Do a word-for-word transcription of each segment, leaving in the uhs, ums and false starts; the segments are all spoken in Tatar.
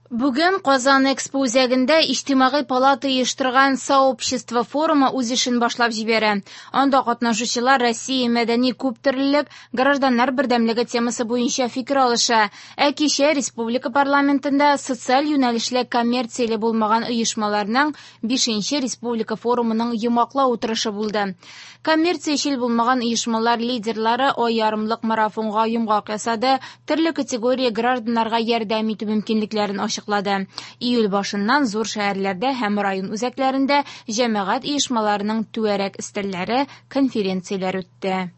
Бүген Казан Экспо үзәгендә Иҗтимагый палата оештырган «Сообщество» форумы үз эшен башлап җибәрә. Анда катнашучылар Россия мәдәни күптөрлелек, гражданнар бердәмлеге темасы буенча фикер алыша. Ә кичә республика парламентында социаль юнәлешле коммерцияле булмаган оешмаларның бишенче республика форумының йомгаклау утырышы булды. Коммерциячел булмаган оешмалар лидерлары ай ярымлык марафонга йомгак ясады, төрле категория гражданнарга ярдәм итү мөмкинлекләрен ачыклады. Июль башыннан зур шәһәрләрдә һәм район үзәкләрендә җәмәгать оешмаларының түгәрәк өстәлләре, конференцияләр үтте.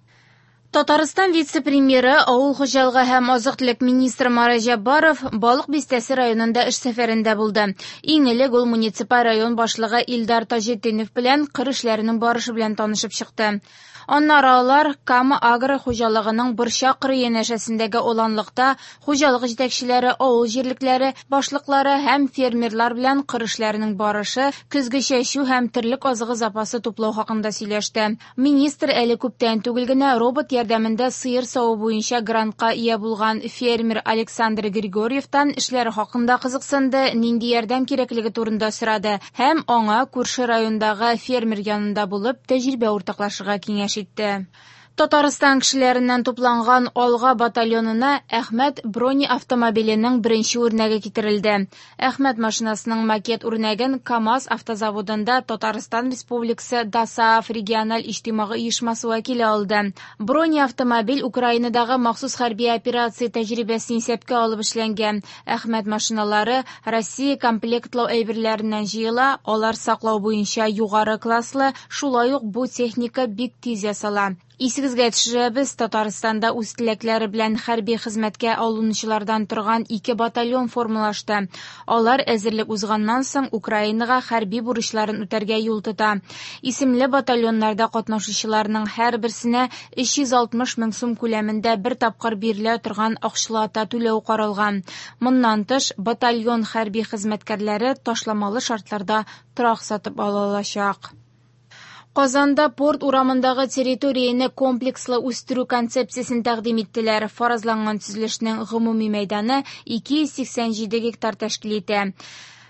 Татарстан вице-премьеры, авыл хуҗалыгы һәм азык-төлек министры Марат Җәббаров Балык Бистәсе районында эш сәфәрендә булды. Иң элек ул муниципаль район башлыгы Илдар Таҗетдинов белән кыр эшләренең барышы белән танышып чыкты. Аннары алар Кама агро хуҗалыгының Борчак кыры янәшәсендәге аланлыкта хуҗалык җитәкчеләре, авыл җирлекләре башлыклары һәм фермерлар белән кыр эшләренең барышы, көзге чәчү һәм терлек азыгы запасы туплау хакында сөйләште. Министр әле күптән түгел генә робот ярдәмендә сыер саву буенча грантка ия булган фермер Александр Григорьевтан эшләре хакында кызыксынды, нинди ярдәм кирәклеге турында сорады һәм аңа күрше райондагы фермер янында булып тәҗрибә уртаклашырга киңәш итте. Татарстан кешеләреннән тупланган Алга батальонына Әхмәт бронеавтомобиленең беренче үрнәге китерелде. Әхмәт машинасының макет үрнәген КАМАЗ автозаводында Татарстан Республикасы ДОСААФ региональ иҗтимагый оешмасы вәкиле алды. Бронеавтомобиль Украинадагы махсус хәрби операция тәҗрибәсен исәпкә алып эшләнгән. Әхмәт машиналары Россия комплектлау әйберләреннән җыела, алар саклау буенча югары класслы, шулай ук бу техника бик тиз ясала. Исегезгә төшерәбез, Татарстанда үз теләкләре белән хәрби хезмәткә алынучылардан торган ике батальон формалашты. Алар әзерлек узганнан соң Украинага хәрби бурычларын үтәргә юл тота. Исемле батальоннарда катнашучыларның һәрберсенә өч йөз алтмыш мең сум күләмендә бер тапкыр бирелә торган акчалата түләү каралган. Моннан тыш, батальон хәрби хезмәткәрләре ташламалы шартларда торак сатып ала алачак. Казанда Порт урамындагы территорияне комплекслы үстерү концепциясен тәкъдим иттеләр. Фаразланган төзелешнең гомуми мәйданы ике йөз сиксән җиде гектар тәшкил итә.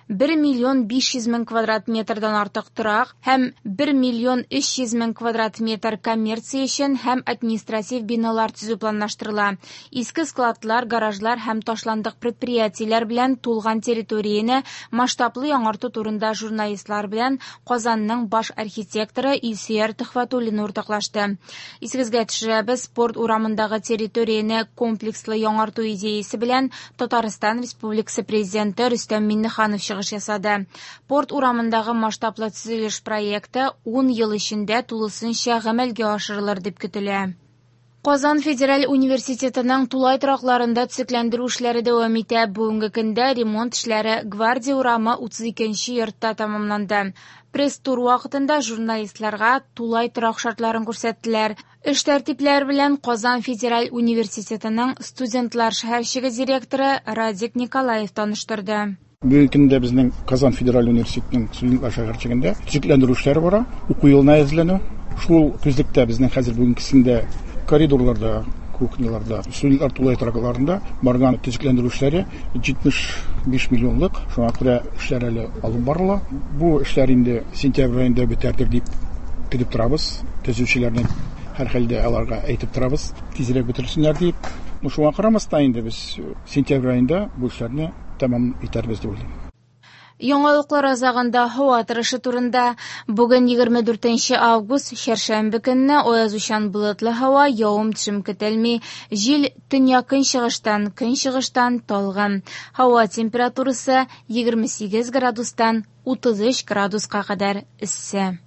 бер миллион биш йөз мең квадрат метрдан артык торак һәм бер миллион өч йөз мең квадрат метр коммерция өчен һәм административ биналар төзү планлаштырыла. Иске складлар, гаражлар һәм ташландык предприятиеләр белән тулган территорияне масштаблы яңарту турында журналистлар белән Казанның баш архитекторы Илсөяр Төхвәтуллина уртаклашты. Исегезгә төшерәбез, Порт урамындагы территорияне комплекслы яңарту идеясе белән Татарстан Республикасы Президенты Рөстәм Миңнеханов чыгыш ясады. Порт урамындагы масштаблы төзелеш проекты ун ел эчендә тулысынча гамәлгә ашырылыр дип көтелә. Казан федераль университетының тулай торакларында төзекләндерү эшләре дәвам итә. Бүгенге көндә ремонт эшләре Гвардия урамы утыз икенче йортта тәмамланды. Пресс-тур вакытында журналистларга тулай торак шартларын күрсәттеләр. Эш тәртипләре белән Казан федераль университетының студентлар шәһәрчеге директоры Радик Николаев таныштырды. Бүгенге көндә безнең Казан федераль университетының студентлар шәһәрчегендә төзекләндерү эшләре бара, уку елына әзерләнү. Шул күзлектә безнең хәзер бүгенгесендә коридорларда, кухняларда, студентлар тулай торакларында барган төзекләндерү эшләре җитмеш биш миллионлык. Шуңа күрә эшләр әле алып барыла. Бу эшләр инде сентябрь аенда бетәрдер дип көтеп торабыз. Төзүчеләрне һәрхәлдә аларга әйтеп торабыз, тизрәк бетерсеннәр дип. Ну, шуңа карамастан инде без сентябрь аенда бу эшләрне тәмам итәрбез дип уйлыйм. Яңалыклар азагында һава торышы турында. Бүген егерме дүртенче август, чәршәмбе көнне аязучан болытлы һава, явым-төшем көтелми. Җил төньяк-көнчыгыштан, көнчыгыштан талгын. Һава температурасы егерме сигез градустан утыз өч градуска кадәр эссе.